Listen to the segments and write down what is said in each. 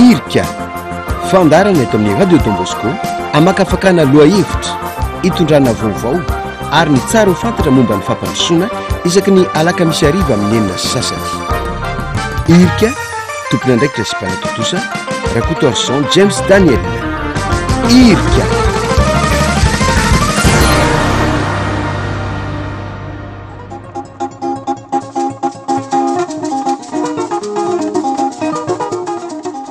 Irika, fandaharana eto amin'ny Radio Don Bosco hamakafakana lohahevitra, hitondrana vaovao ary ny tsara ho fantatra momba ny fampandrosoana isaky ny alakamisy hariva amin'ny 6:30. Irika, tompon'andraikitra sy mpanatontosa, Rakotoarison James Daniel. Irika.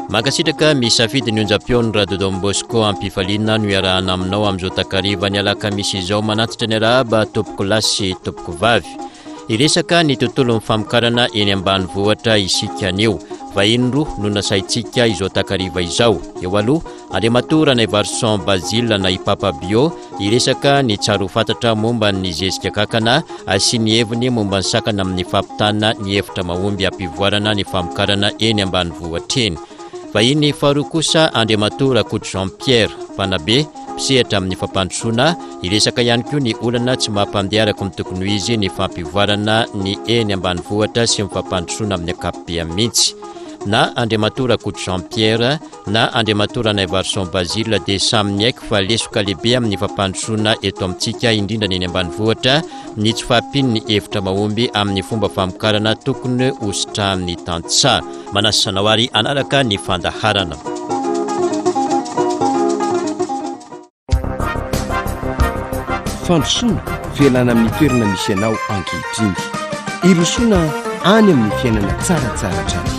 Mankasitraka misafidy ny onjam-peon'ny Radio Don Bosco am-pifaliana no iarahana aminao amin'izao takariva ny alakamisy izao manantitra ny arahaba tompoko lahy sy tompoko vavy. Hiresaka ny tontolon'ny famokarana eny ambanivohitra isika anio. Vahiny roa no nasaintsika izao takariva izao. Eo aloha, Andriamatoa Ranaivarison Basile na i Papa Bio Hiresaka ny tsara ho fantatra momba ny zezika kankana sy ny heviny momba ny sakana amin'ny fampitana ny hevitra mahomby hampivoarana ny famokarana eny ambanivohitra eny. Vahiny faharoa kosa Andriamatoa Rakoto Jean Pierre, mpanabe, mpisehatra amin'ny fampandrosoana, hiresaka ihany koa ny olana tsy mampandeha araka ny tokony ho izy ny fampivoarana ny eny ambanivohitra sy ny fampandrosoana amin'ny ankapobeny mihitsy. Na Andriamatoa Rakoto Jean Pierre, na Andriamatoa Ranaivarison Basile dia samy niaiky fa lesoka lehibe amin'ny fampandrosoana eto amintsika, indrindra ny eny ambanivohitra, ny tsy fahampian'ny hevitra mahomby amin'ny fomba famokarana tokony hositrahan'ny tantsaha. Manasa anao ary hanaraka ny fandaharana. Fandrosoana, fialana amin'ny toerana misy anao ankehitriny. Hirosoana any amin'ny fiainana tsaratsara hatrany.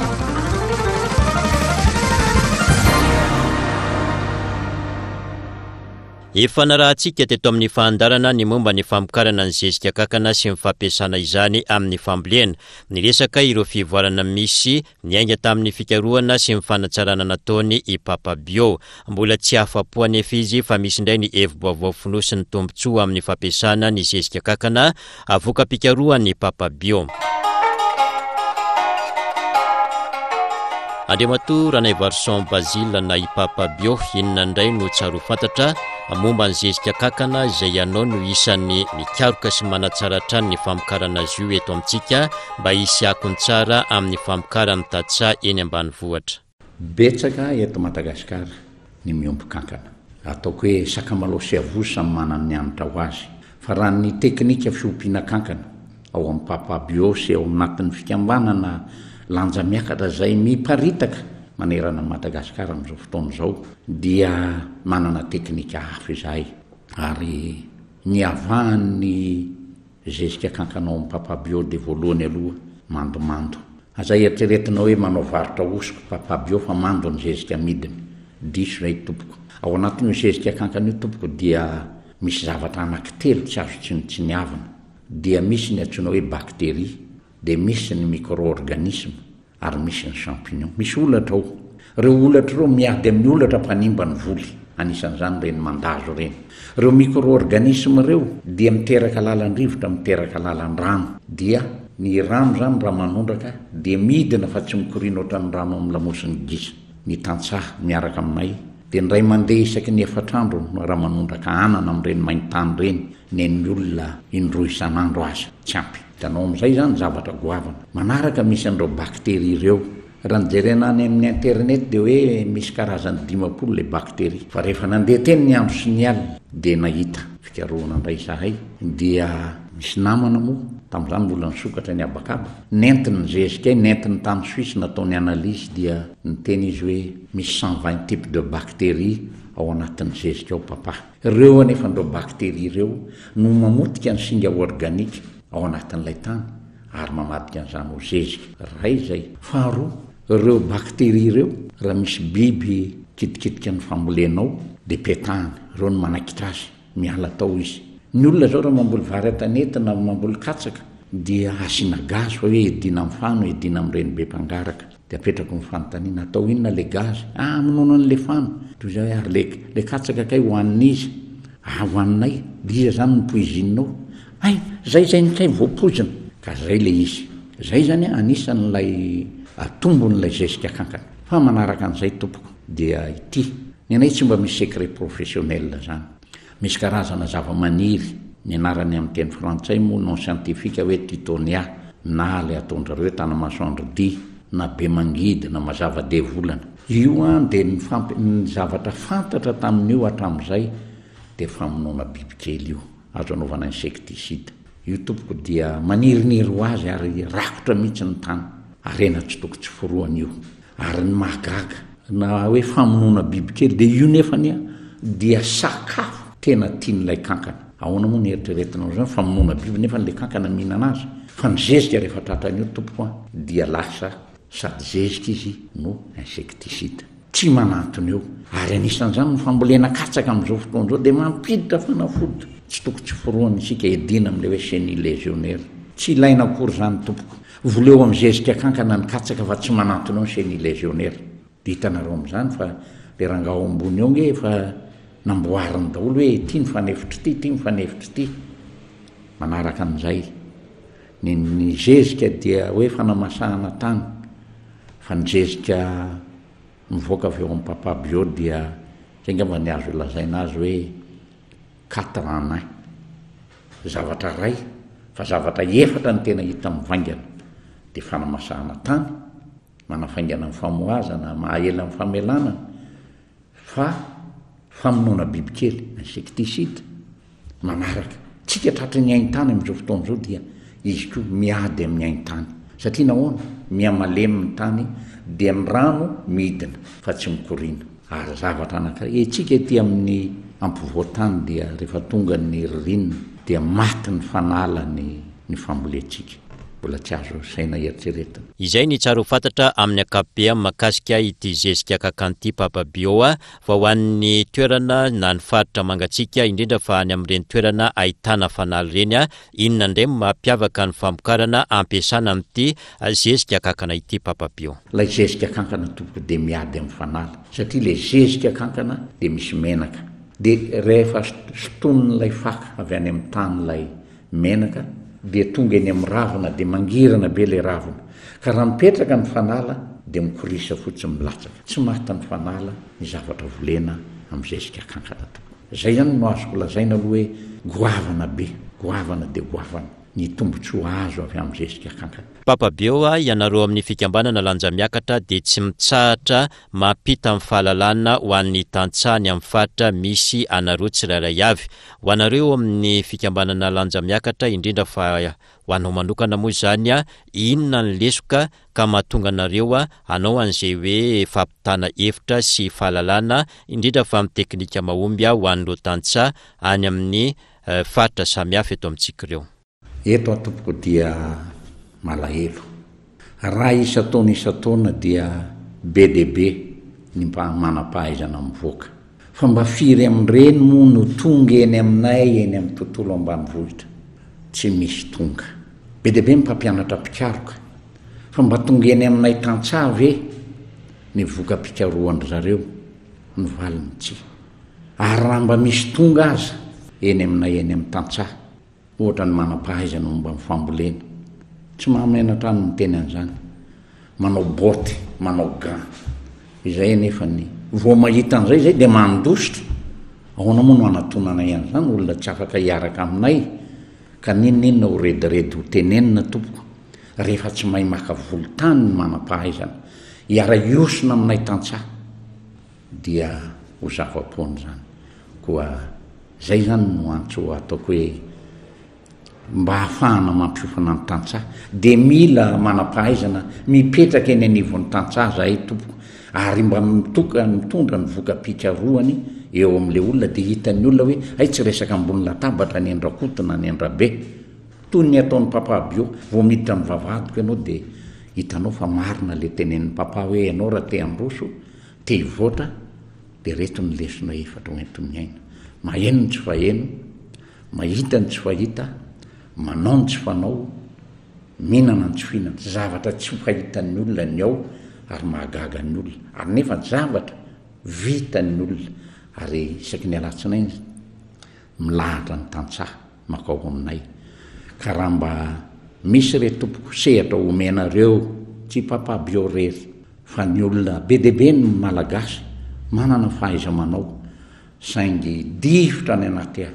Efa narahantsika teto amin'ny fahandarana ny momba ny famokarana ny zezika kankana sy ny fampiasana izany amin'ny fambolena. Niresaka ireo fivoarana misy Niainga tamin'ny fikarohana sy ny fanatsarana nataony i Papa Bio. Mbola tsy afa-po anefa izy fa misy indray ny hevi-baovao fonosin'ny tombontsoa amin'ny fampiasana ny zezika kankana, voka-pikarohan'i Papa Bio. Andriamatoa Ranaivarison Basile na i Papa Bio, inona indray no tsara ho fantatra momba ny zezika kankana izay ianao no isan'ny mikaroka sy manatsara hatrany ny famokarana azy io eto amintsika mba hisy akony tsara amin'ny famokaran'ny tantsaha eny ambanivohitra. Betsaka eto Madagasikara ny miompy kankana. Ataoko hoe sakamalao sy avozo samy manana ny hanitra ho azy. Fa raha ny teknika fiompiana kankana ao amin'ny Papa Bio sy ao anatin'ny fikambanana Lanja Miakatra izay miparitaka manerana an'i Madagasikara amin'izao fotoana izao dia manana teknika hafa izahay ary ny havahan'ny Zezika kankana ao am papa bio de voalohany aloha mandomando. Aza eritreretina hoe manao varotra hosoka papa bio fa mando ny zezika amidiny. Diso zay tompoko. Ao anatin'io zezika kankana io tompoko dia misy zavatra anaky telo tsy azo tsinontsiniavina. Dia misy ny antsoina hoe bacterie, dia misy ny micro-organisme, ary misy ny champignon. Misy holatra ao. Ireo holatra ireo miady amin'ny holatra mpanimba ny voly, anisan'izany ireny mandazo ireny. Ireo micro-organismes ireo dia miteraka lalan-drivotra, miteraka lalan-drano. Dia ny rano izany raha manondraka dia midina fa tsy mikoriana ohatran'ny rano amin'ny lamosin'ny gisa. Ny tantsaha miaraka aminay dia indray mandeha isaky ny efatr'andro no raha manondraka anana amin'ireny main-tany ireny, nen'ny olona indroa isan'andro aza tsy ampy. Hitanao amin'izay izany zavatra goavana. Manaraka misy an'ireo bakteria ireo. Raha ny jerena any amin'ny internet dia hoe misy karazany 50 ilay bakteria. Fa rehefa nandeha teny ny andro sy ny alina dia nahita fikarohana indray izahay dia misy namana moa, tamin'izany mbola nisokatra ny habakaba, nentiny ny zezikay, nentiny tany Suisse nataony analyse dia niteny izy hoe misy 120 types de bactéries ao anatin'ny zezika ao papa. Ireo anefa ireo bakteria ireo no mamotika ny singa organika ao anatin'ilay tany ary mamadika an'izany ho zezika. Iray izay. Faharoa, ireo bakteria ireo, raha misy biby kitikitika ny fambolenao dia petahany, ireo no manaikitra azy, miala tao izy. Ny olona izao raha mamboly vary an-tanety na mamboly katsaka dia asiana gaz fa hoe hiadiana amin'ny fano, hiadiana amin'ireny be mpangaraka. Dia apetrako ny fanontaniana, atao inona le gaz? Ah, hamonoana an'le fano. Toy izay hoe, ary le, le katsaka kay hohanin'iza? Ah, hohaninay. Dia iza zany no poizinina ao? Hay, zay zay ny kay voapoizina. Ka zay le izy. Zay zany anisan'ilay tombon'ilay zezika kankana. Fa manaraka an'izay tompoko, dia ity. Ny anay tsy mba misy secret professionnel zany. Misy karazana zavamaniry, ny anarany amin'ny teny frantsay moa nom scientifique hoe Tithonia na ilay ataon-dry zareo hoe tanamasoandro dia. na be mangidy na mazava devolana. Io an dia ny fampi ny zavatra fantatra tamin'io hatramin'izay dia famonoana bibikely io, azo anaovana insecticide. Io tompoko dia maniriniry ho azy ary rakotra mihitsy ny tany. Harena tsy toko tsy forohana io. Ary ny mahagaga, na hoe famonoana bibikely dia io nefany an dia sakafo tena tian'ilay kankana. Ahoana moa ny eritreretinao izany, famonoana biby nefa ilay kankana mihinana azy? Fa ny zezika rehefa tratran'io tompoko an dia lasa sady zezika izy no insecticide. Tsy manantona eo. Ary anisan'izany ny fambolena katsaka amin'izao fotoana izao dia mampiditra fanafody tsy toko tsy forohana isika hiadiana amin'ilay hoe chenille légionnaire. Tsy ilaina akory izany tompoko. Voleo amin'ny zezika kankana ny katsaka fa tsy manantona eo ny chenille légionnaire. Dia hitanareo amin'izany fa ilay rangahy ao ambony ao ange efa namboariny daholo hoe ity ny fanefitr'ity, ity ny fanefitr'ity. Manaraka an'izay. Ny ny zezika dia hoe fanamasahana tany, fa ny zezika mivoaka avy ao amin'ny Papa Bio dia izay angamba ny azo lazaina azy hoe quatre en un. Zavatra iray, fa zavatra efatra no tena hita mivaingana, dia fanamasahana tany, manafaingana ny famohazana, maha-ela ny famelanana, fa famonoana bibikely, insecticide, manaraka. Tsika tratry ny haintany amin'izao fotoana izao dia izy koa miady amin'ny haintany. Satria nahoana? Miha-malemy ny tany dia ny rano midina fa tsy mikoriana. Ary zavatra anankiray, etsika ety amin'ny ampovoan-tany dia rehefa tonga ny ririnina dia maty ny fanala ny ny fambolentsika. Mbola tsy azo saina eritreretina. Izay ny tsara ho fantatra amin'ny ankapobeny mahakasika ity zezika kakan'ity Papa Bio a, fa ho an'ny toerana na ny faritra mangatsiaka indrindra fa any amin'ireny toerana ahitana fanala ireny a, inona indray no mampiavaka ny famokarana ampiasana amin'ity zezika kankana ity Papa Bio? Ilay zezika kankana tompoko dia miady amin'ny fanala satria ilay zezika kankana dia misy menaka dia rehefa sintonin'ilay faka avy any amin'ny tany ilay menaka dia tonga eny amin'ny ravina dia mangirana be ilay ravina ka raha mipetraka ny fanala dia mikorisa fotsiny milatsaka tsy maty ny fanala ny zavatra volena amin'ny zezika kankana tompoko zay zany no azoko lazaina aloha hoe goavana be goavana dia goavana ny tombontsoa azo avy amin'ny zezika kankana. Papa Beo a, ianareo amin'ny fikambanana Lanjamiakatra dia tsy mitsahatra mampita ny fahalalana ho an'ny tantsaha ny amin'ny faritra misy anareo tsirairay avy. Ho anareo eo amin'ny fikambanana Lanjamiakatra indrindra fa ho anao manokana moa izany a, inona ny lesoka ka mahatonga anareo hanao an'izay hoe fampitana hevitra sy fahalalana indrindra fa amin'ny teknika mahomby ho an'ireo tantsaha any amin'ny faritra samihafa eto amintsika ireo. Eto aho tompoko dia malahelo. Raha isan-taona isan-taona dia be dia be ny mba manam-pahaizana mivoaka. Fa mba firy amin'ireny moa no tonga eny aminay eny amin'ny tontolo ambanivohitra? Tsy misy tonga. Be dia be ny mpampianatra mpikaroka. Fa mba tonga eny aminay tantsaha ve ny voka-pikarohan-dry zareo? Ny valiny tsia. Ary raha mba misy tonga aza eny aminay eny amin'ny tantsaha, ohatra ny manam-pahaizana momba ny fambolena, tsy mahamenatra ahy ny miteny an'izany, manao botte, manao gants, izay anefa ny, vao mahita an'izay izay dia mandositra, ahoana moa no hanatonanay an'izany olona tsy afaka hiaraka aminay, ka n'inon'inona ho rediredy ho tenenina tompoko, rehefa tsy mahay maka volon-tany ny manam-pahaizana, hiara-hiosona aminay tantsaha. dia ho zava-poana izany. Koa izay izany no antso ataoko hoe mba hahafahana mampiofana ny tantsaha dia mila manam-pahaizana mipetraka eny anivon'ny tantsaha zahay tompoko ary mba mitoka mitondra ny voka-pikarohany eo amin'ilay olona dia hitan'ny olona hoe hay tsy resaka ambony latabatra ny an-dRakoto na ny an-dRabe toy ny ataon'i Papa Bio vao miditra ny vavahadiko ianao dia hitanao fa marina ilay tenenin'i Papa hoe ianao raha te handroso Te hivoatra dia reto ny lesona efatra ho enti-miaina, maheno ny tsy faheno, mahita ny tsy fahita, manao ny tsy fanao, mihinana ny tsy fihinana. Zavatra tsy fahitan'ny olona ny ao ary mahagaga ny olona ary nefa zavatra vitan'ny olona ary isaky ny alatsinainy milahatra ny tantsaha makao aminay ka raha mba misy re tompoko sehatra omenareo tsy papa bio rery fa ny olona be dia be ny malagasy manana fahaiza-manao saingy difotra any anaty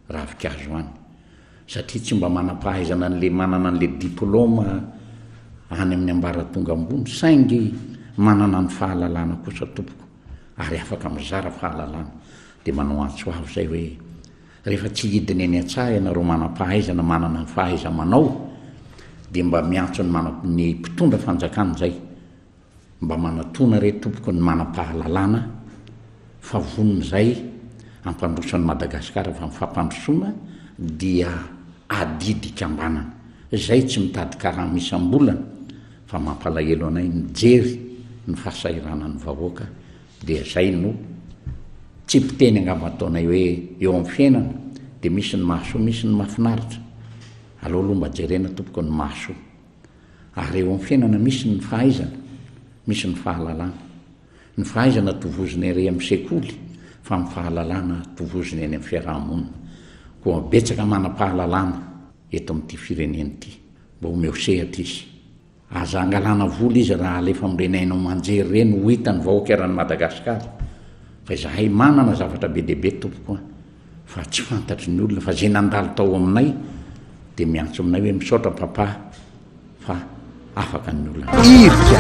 ravinkazo any satria tsy mba manam-pahaizana an'le manana an'le diploma. any amin'ny ambaratonga ambony saingy manana ny fahalalana kosa tompoko ary afaka mizara fahalalana dia manao antso avo izay hoe rehefa tsy hidina eny an-tsaha ianareo manam-pahaizana manana ny fahaiza-manao dia mba miantso ny mana ny mpitondra fanjakana izay Mba manatona re tompoko ny manam-pahalalana fa vonona izay hampandroso an'i Madagasikara fa ny fampandrosoana dia adidy ikambanana. Izay tsy mitady karama isam-bolana fa mampalahelo anay mijery ny fahasahiranan'ny vahoaka dia izay no tsipiteny angamba ataonay hoe eo amin'ny fiainana dia misy ny mahasoa misy ny mahafinaritra. Aleo aloha mba jerena tompoko ny mahasoa. Ary eo amin'ny fiainana misy ny fahaizana, misy ny fahalalana. Ny fahaizana tovozina ery amin'ny sekoly fa ny fahalalana tovozina eny amin'ny fiaraha-monina. Koa betsaka manam-pahalalana eto amin'ity firenena ity. Mba omeo sehatra izy. Aza angalana vola izy raha alefa amin'ireny haino aman-jery ireny ho hitan'ny vahoaka eran'i Madagasikara. Fa izahay manana zavatra be dia be tompoko a. Fa tsy fantatry ny olona fa zay nandalo tao aminay dia miantso aminay hoe misaotra papa fa afaka ny olana. Irika.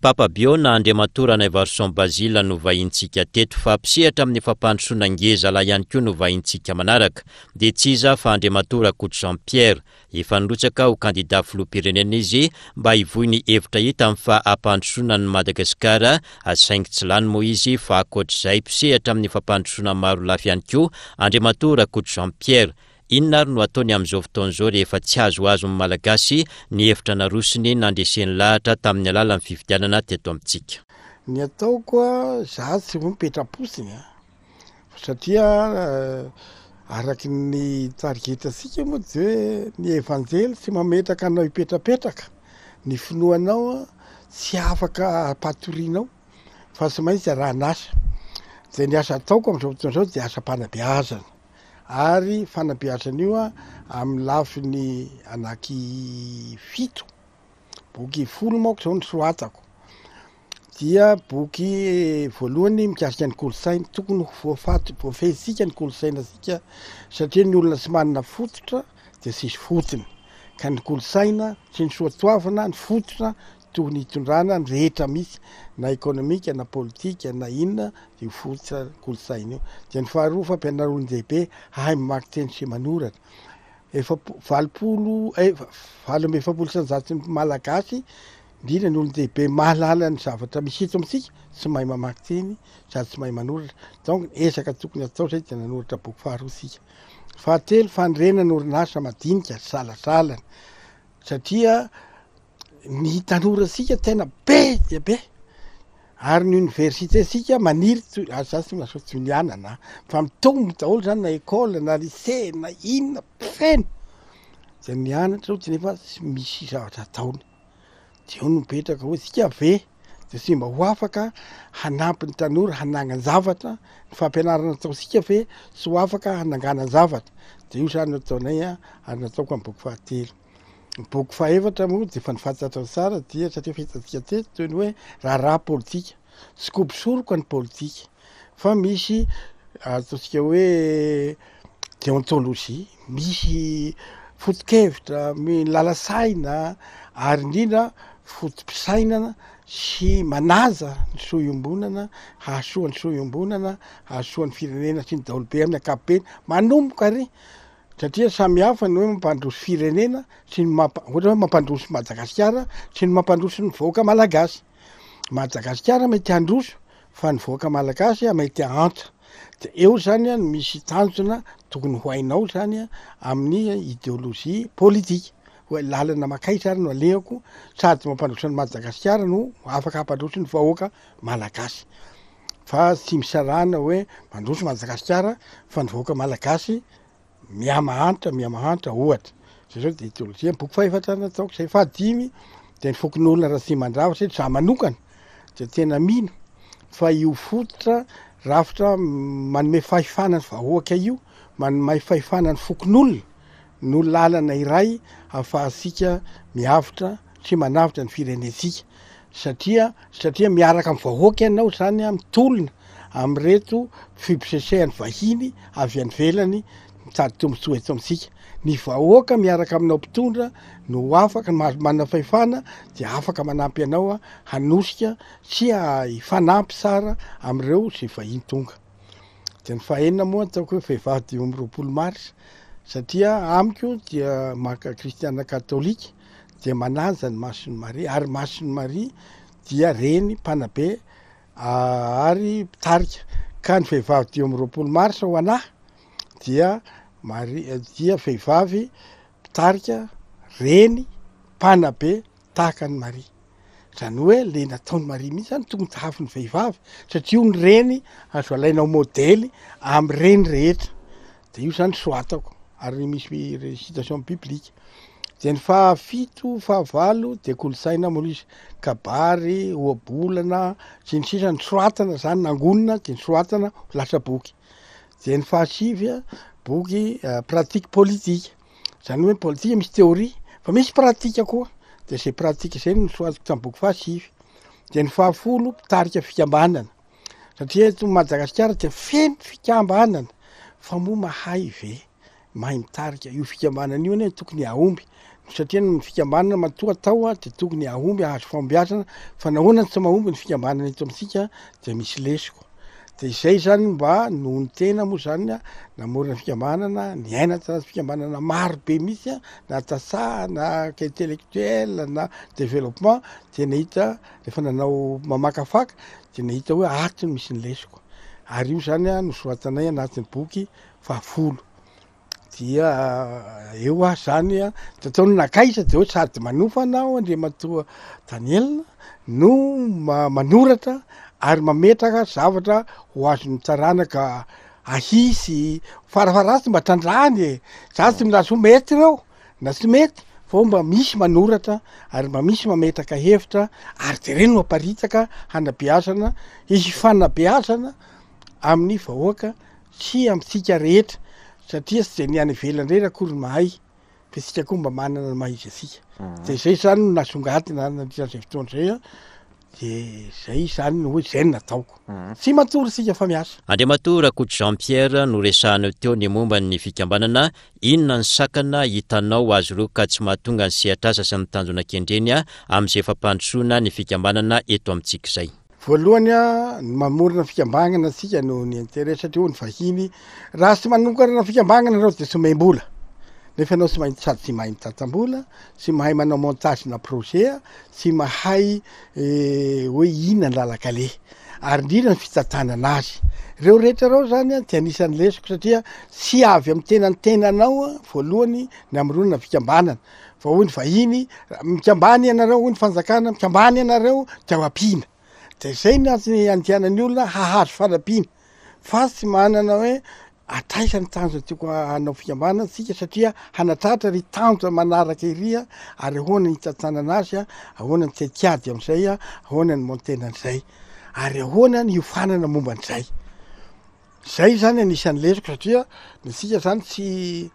Papa Bio na Andriamatoa Ranaivarison Basile no vahintsika teto fa mpisehatra amin'ny fampandrosoana ngeza lahy ihany koa no vahintsika manaraka dia tsy iza fa Andriamatoa Rakoto Jean Pierre Efa nirotsaka ho kandida filoham-pirenena izy mba hivoy ny hevitra hitany fa hampandrosoana an'i Madagasikara saingy tsy lany moa izy fa ankoatr'izay mpisehatra amin'ny fampandrosoana maro lafy ihany koa Andriamatoa Rakoto Jean Pierre. Inona ary no ataony amin'izao fotoana izao rehefa tsy azoazon'ny Malagasy ny hevitra narosony nandreseny lahatra tamin'ny alalan'ny fifidianana teto amintsika? Ny ataoko a, za tsy ho mipetra-potsiny a. Satria araky ny tarigetantsika moa de hoe ny evanjely tsy mametraka anao hipetrapetraka, ny finoanao tsy afaka ampatorianao fa tsy maintsy arahan'asa. De ny asa ataoko am'zao fotoana zao de asam-panabeazana ary fanabeazana io amin'ny lafiny anaky fito. Boky folo manko zao no soratako. Dia boky voalohany mikasika ny kolontsaina. Tokony ho voafaty, voafehintsika ny kolontsainantsika satria ny olona tsy manana fototra dia tsisy fotony. Ka ny kolontsaina sy ny soatoavina, ny fototra tokony hitondrana ny rehetra misy na ekonomika na politika na inona dia io fototra kolontsaina io. Dia ny faharoa fampianarana olon-dehibe hahay mamaky teny sy manoratra. Efapo-, 80 eh, 48% Malagasy, indrindra ny olon-dehibe mahalala ny zavatra misy eto amintsika, tsy mahay mamaky teny sady tsy mahay manoratra. Donc ny ezaka tokony atao zay dia nanoratra boky faharoa isika. Fahatelo, fanorenana orinasa madinika salasalana satria ny tanorantsika tena be dia be ary ny université tsika maniry toy ary za tsy milaza hoe toy ny anana fa mitombo daholo zany na école na lycée na inona feno zay mianatra ohatry nefa tsy misy zavatra ataony de eo no mipetraka hoe tsika ve de tsy mba ho afaka hanampy ny tanora hanangan-javatra ny fampianarana ataontsika ve tsy ho afaka hananganan-javatra de io zany no ataonay a ary nataoko amin'ny boky fahatelo. Ny boky fahefatra moa dia efa nifantatrao tsara dia satria efa hitantsika teto toy ny hoe raharaha politika. Tsy kobo-soroka ny politika fa misy ataontsika hoe déontologie, misy foto-kevitra, lalasaina ary indrindra foto-pisainana sy manaja ny soa iombonana, hahasoa ny soa iombonana, hahasoa ny firenena sy ny daholobe amin'ny ankapobeny. Manomboka ary Satria samy hafa ny hoe mampandroso firenena sy ny mampa- ohatra hoe mampandroso Madagasikara sy ny mampandroso ny vahoaka malagasy. Madagasikara mety handroso fa ny vahoaka malagasy mety hahantra. De eo zany no misy tanjona tokony ho hainao zany amin'ny ideologie politika hoe lalana mankaiza ary no alehako sady mampandroso an'i Madagasikara no afaka hampandroso ny vahoaka malagasy. Fa tsy misarahana hoe mandroso Madagasikara fa ny vahoaka malagasy mihamahantra mihamahantra ohatra. Zay zao de ideolojia. Ny boky fahefatra nataoko zay fahadimy de ny fokonolona Ratsimandrava satria za manokana de tena mino fa io fototra rafitra manome fahefana ny vahoaka io, manome fahefana ny fokonolona no lalana iray ahafahantsika miavotra sy manavotra ny firenentsika satria satria miaraka amin'ny vahoaka ianao zany a mitolona amin'ireto fibosesehan'ny vahiny avy any ivelany. mitady tombontsoa eto amintsika. Ny vahoaka miaraka aminao mpitondra no afaka, mahazo manana fahefana dia afaka manampy anao hanosika sy hifanampy tsara amin'ireo izay vahiny tonga. Dia ny fahaenina moa ataoko hoe vehivavy 25 mars satria amiko dia maka kristiana katolika dia manaja ny Masin'i Maria ary Masin'i Maria dia reny mpanabe ary mpitarika ka ny vehivavy 25 mars ho anahy dia Maria dia vehivavy mpitarika reny mpanabe tahaka an'i Maria. Izany hoe le nataon'i Maria mihitsy zany tokony tahafin'ny vehivavy satria io ny reny azo alaina ho modely amin'ny reny rehetra. De io zany soratako ary misy citation biblique. De ny fahafito, fahavalo de kolontsaina moa izy, kabary, ohabolana sy ny sisa nosoratana zany nangonina de nosoratana ho lasa boky. De ny fahasivy a, boky pratique politique. Zany hoe politika misy théorie fa misy pratique koa, de zay pratique zay no nosoratako tamin'ny boky fahasivy. De ny fahafolo mpitarika fikambanana, satria eto Madagasikara dia feno fikambanana fa moa mahay ve mahay mitarika io fikambanana io anie tokony hahomby satria ny fikambanana matoa atao dia tokony hahomby hahazo fahombiazana fa nahoana no tsy mahomby ny fikambanana eto amintsika dia misy lesoka. De izay zany mba noho ny tena moa zany a, namorona fikambanana, niaina tanaty fikambanana maro be mihitsy a, na tantsaha na intellectuel na développement, de nahita rehefa nanao mamakafaka de nahita hoe ato no misy ny lesoko, ary io zany a nosoratanay anatin'ny boky fahafolo. Dia eo aho zany a, de ataony nankaiza de hoe sady manofana aho Andriamatoa Daniel no manoratra ary mametraka zavatra ho azon'ny taranaka ahisy farafaharatsiny mba trandrahany e, za tsy milaza hoe mety ireo na tsy mety fa hoe mba misy manoratra ary mba misy mametraka hevitra ary de reny no aparitaka hanabeazana, hifanabeazana amin'ny vahoaka sy amintsika rehetra satria tsy dia ny any ivelany irery akory no mahay fa isika koa mba manana ny maha izy antsika. De zay zany no nasongadina nandritra an'izay fotoana izay an, de zay zany no hoe zay no nataoko. Tsy matory isika fa miasa. Andriamatoa Rakoto Jean Pierre, noresahanao teo ny momba ny fikambanana, inona ny sakana hitanao azy ireo ka tsy mahatonga ny sehatr'asa sy ny tanjona kendreny amin'izay fampandrosoana ny fikambanana eto amintsika izay? Voalohany a, ny mamorona fikambanana antsika noho ny intérêt satria hoy ny vahiny, raha tsy manokana fikambanana ianao dia tsy omem-bola, nefa ianao tsy mahay sady tsy mahay mitantam-bola, tsy mahay manao montage na projet, tsy mahay hoe inona ny lalan-kaleha, ary indrindra ny fitantanana azy. Ireo rehetra ireo zany a dia anisan'ny lesoko satria tsy avy amin'ny tenan'ny tenanao voalohany ny hamoronana fikambanana, Fa hoy ny vahiny, mikambana ianareo, hoy ny fanjakana, mikambana ianareo dia ho ampiana. Dia izay ny antony andehanan'ny olona hahazo fanampiana. Fa tsy manana hoe hatraiza ny tanjona tiako hanao fikambanana tsika satria hanatratra ry tanjona manaraka iry ary ahoana ny hitantanana azy, ahoana ny tetikady amin'izay, ahoana ny montena an'izay, ary ahoana ny hiofanana momba an'izay. Zay zany anisan'ny lesoko satria ny antsika zany tsy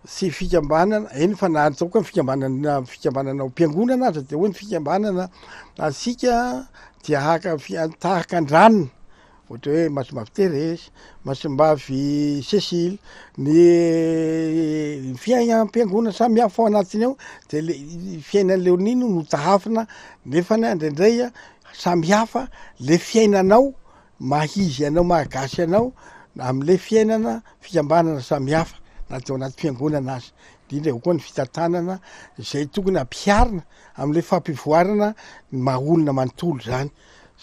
tsy fikambanana, eny fa na ataoko hoe fikambanana fikambanana ao am-piangonana aza de hoe ny fikambanana antsika dia haka fi- tahaka an-dranona, ohatra hoe Masimbavy Thérèse, Masimbavy Cécile, ny fiainam-piangonana samihafa ao anatiny ao de le fiainan'i Léonie no notahafina nefany indraindray samihafa le fiainanao maha izy anao maha gasy anao amle fiainana fikambanana samihafa na de ao anaty fiangonana aza, indrindra eo koa ny fitantanana izay tokony ampiharina amle fampivoarana ny maha olona manontolo zany,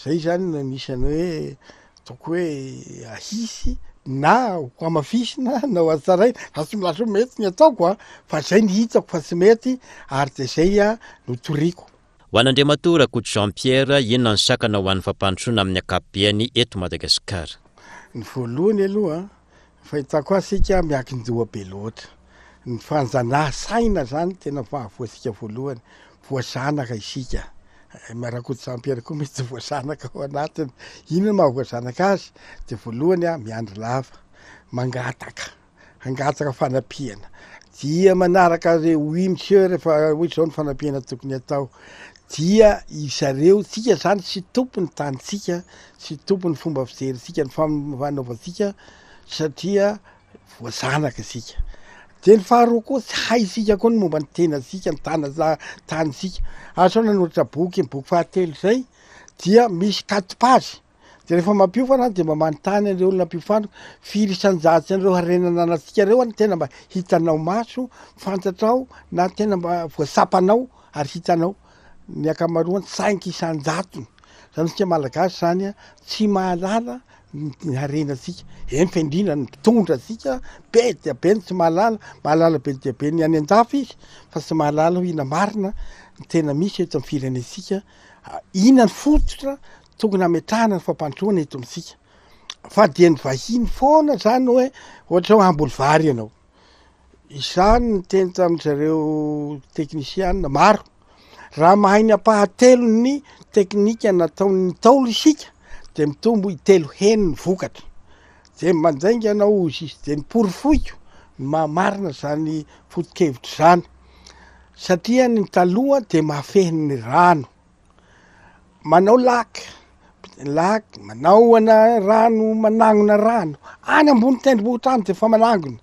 zay zany no anisan'ny hoe ataoko hoe ahisy na ho hamafisina na ho hatsaraina, za tsy milaza hoe mety ny ataoko an, fa zay ny hitako fa tsy mety ary de zay no toriko. Ho an'Andriamatoa Rakoto Jean Pierre, inona ny sakana ho an'ny fampandrosoana amin'ny ankapobeany eto Madagasikara? Ny voalohany aloha, ny fahitako azy isika miankin-doha be loatra. Ny fanjanaha saina zany tena mahavoa antsika voalohany. Voazanaka isika. Rakoto Jean Pierre koa mety voazanaka ao anatiny. Inona no mahavoazanaka azy? Dia voalohany miandry lava, mangataka. hangataka fanampiana dia manaraka re oui monsieur rehefa hoe zao ny fanampiana tokony atao dia izareo tsika zany tsy tompony tanitsika tsy tompony fomba fijerintsika ny fanaovantsika satria. Voazanaka isika. Dia ny faharoa koa tsy haintsika koa ny momba ny tenantsika, ny tana- tanintsika. Ary sao nanoratra boky, ny boky fahatelo izay dia misy quatre pages. Dia rehefa mampiofana aho dia mba manontany an'ireo olona ampiofaniko, firy isan-jato an'ireo harena ananantsika ireo no tena mba hitanao maso, fantatrao na tena mba voatsapanao ary hitanao. Ny ankamaroany cinq isan-jatony. Zany isika malagasy zany an, tsy mahalala ny harenantsika. Eny fa indrindra ny mpitondra antsika be dia be ny tsy mahalala, mahalala be dia be ny any an-dafy izy fa tsy mahalala hoe inona marina ny tena misy eto amin'ny firenentsika, inona ny fototra tokony hametrahana ny fampandrosoana eto amintsika. Fa dia ny vahiny foana zany hoe ohatra hoe hamboly vary ianao. Izaho niteny tamin-dry zareo teknisiana maro, raha mahay ny ampahatelon'ny teknika nataon'ny Ntaolo isika dia mitombo intelo heny ny vokatra. Dia mandainga ianao hozy izy, dia noporofoiko ny maha marina izany foto-kevitra izany, satria ny taloha dia mahafehy ny rano. Manao lac, lac, manao ana rano, manangona rano, any ambony tendrombohitra any de efa manangona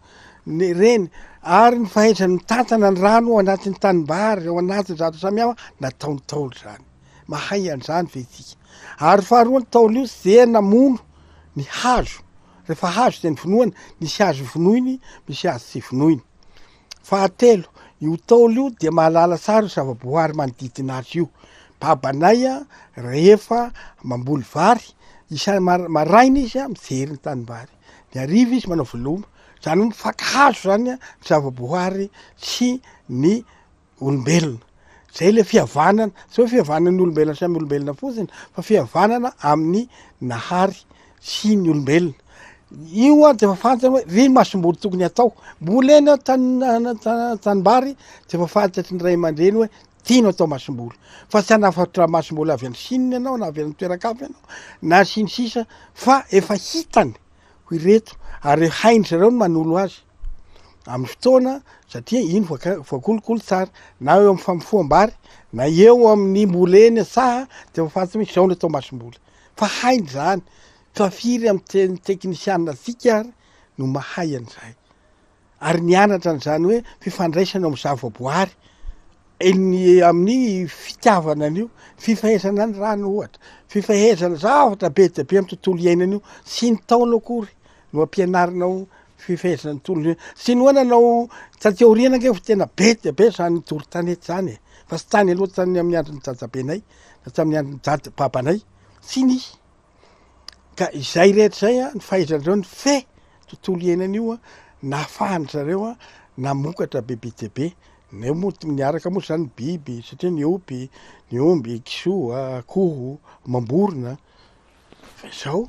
ny reny, ary ny fahaizany mitantana ny rano ao anatin'ny tanimbary, ao anatin'ny zavatra samihafa, nataon'ny Ntaolo zany, mahay an'izany ve tsika? Ary faharoa ny Ntaolo io tsy dia namono ny hazo, rehefa hazo de novonoina, nisy hazo vonoiny, misy hazo tsy vonoiny. Fahatelo, io Ntaolo io dia mahalala tsara io zava-boahary manodidina azy io. Babanay rehefa mamboly vary, isa- maraina izy mijery ny tanimbary, ny hariva izy manao veloma, zany hoe mifankahazo zany ny zava-boahary sy ny olombelona. Zay le fihavanana, tsy hoe fihavanan'ny olombelona samy olombelona fotsiny fa fihavanana amin'ny Nahary sy ny olombelona. Io an de efa fantany hoe ry masomboly tokony atao. Mbola eny an-tany tanimbary de efa fantatry ny ray aman-dreny hoe ty no atao masomboly. Fa tsy hanafatra masomboly avy any Chine ianao na avy any toeran-kafa ianao na sy ny sisa fa efa hitany ho ireto ary hain-dry zareo ny manolo azy amin'ny fotoana satria iny voaka- voakolokolo tsara na eo amin'ny famofoham-bary na eo amin'ny mbola eny an-tsaha de efa fantatra hoe izao no atao masomboly. Fa hainy izany. Fa firy amin'ny teny teknisiana antsika ary no mahay an'izay? Ary nianatra an'izany hoe fifandraisana eo amin'ny zavaboary, eny amin'ny fitiavana an'io, fifehezana ny rano ohatra, fifehezana zavatra be dia be amin'ny tontolo iainana io, tsy ny taona akory no ampianarinao fifehezana ny tontolo iainana. Tsy ny hoe nanao taty aoriana ange fa tena be dia be izany doro tanety izany e, fa tsy tany aloha tany amin'ny andron'ny dadabenay na tamin'ny andron'ny dada babanay, tsy nisy. Ka izay rehetra izay an, ny fahaizan-dreo nifehy tontolo iainana io an, nahafahan-dry zareo an namokatra bebe dia be. Neo moa niaraka moa zany ny biby satria niompy, ny omby, kisoa, akoho, amam-borona. Fa izao,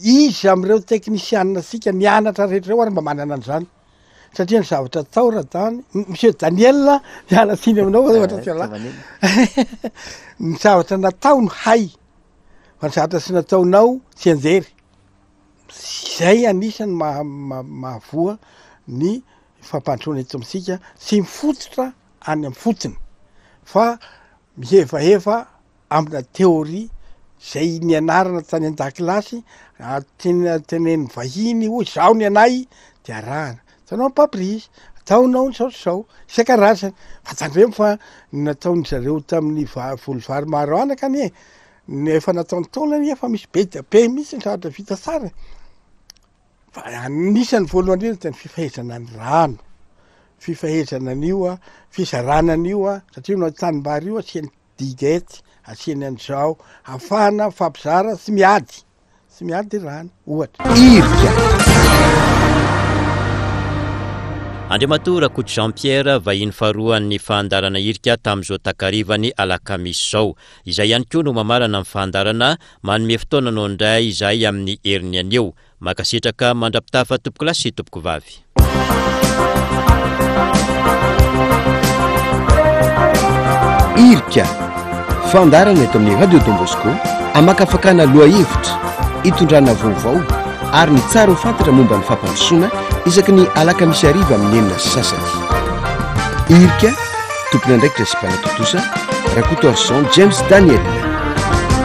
iza amin'ireo teknisianina antsika nianatra rehetra ireo ary mba manana an'izany? Satria ny zavatra atao Radany, Monsieur Daniel, miala tsiny aminao fa ohatra tsy ialahy. Ny zavatra natao no hay. Fa ny zavatra tsy nataonao tsianjery. Zay anisany maha- mahavoa ny fampandrosoana eto amintsika, tsy mifototra any amin'ny fotony fa mihevaheva amina théorie zay nianarana tany an-dakilasy, tena tenenin'ny vahiny hoy zao ny anay de arahana. Ataonao ny pamprise, ataonao ny zao sy zao, isan-karazany. Fa tandremo fa ny nataon-dry zareo tamin'ny va- voly vary maro anaka anie, ny efa nataon'ny Ntaolo anie efa misy be dia be mihitsy ny zavatra vita tsara e. Fa anisan'ny voalohany indrindra dia ny fifehezana ny rano, fifehezana an'io an, fizarana an'io an, satria io tanimbary io asiany diguette, asiany an'izao, ahafahana mifampizara sy miady. Tsy miady rano, ohatra. Irika. Andriamatoa Rakoto Jean Pierre, vahiny faharoan'ny fandaharana Irika tamin'izao takarivan'ny alakamisy izao. Izay ihany koa no mamarana ny fandaharana, manome fotoana anao indray izahay amin'ny heriny anio. Mankasitraka mandra-pitafa tompokolahy sy tompokovavy. Irika, fandaharana eto amin'ny Radio Don Bosco, amakafakana lohahevitra, itondrana vaovao ary ny tsara ho fantatra momba ny fampandrosoana isaky ny alakamisy hariva amin'ny 6:30. Irika, tompon'andraikitra sy mpanatontosa, Rakotoarison James Daniel.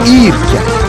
Irika.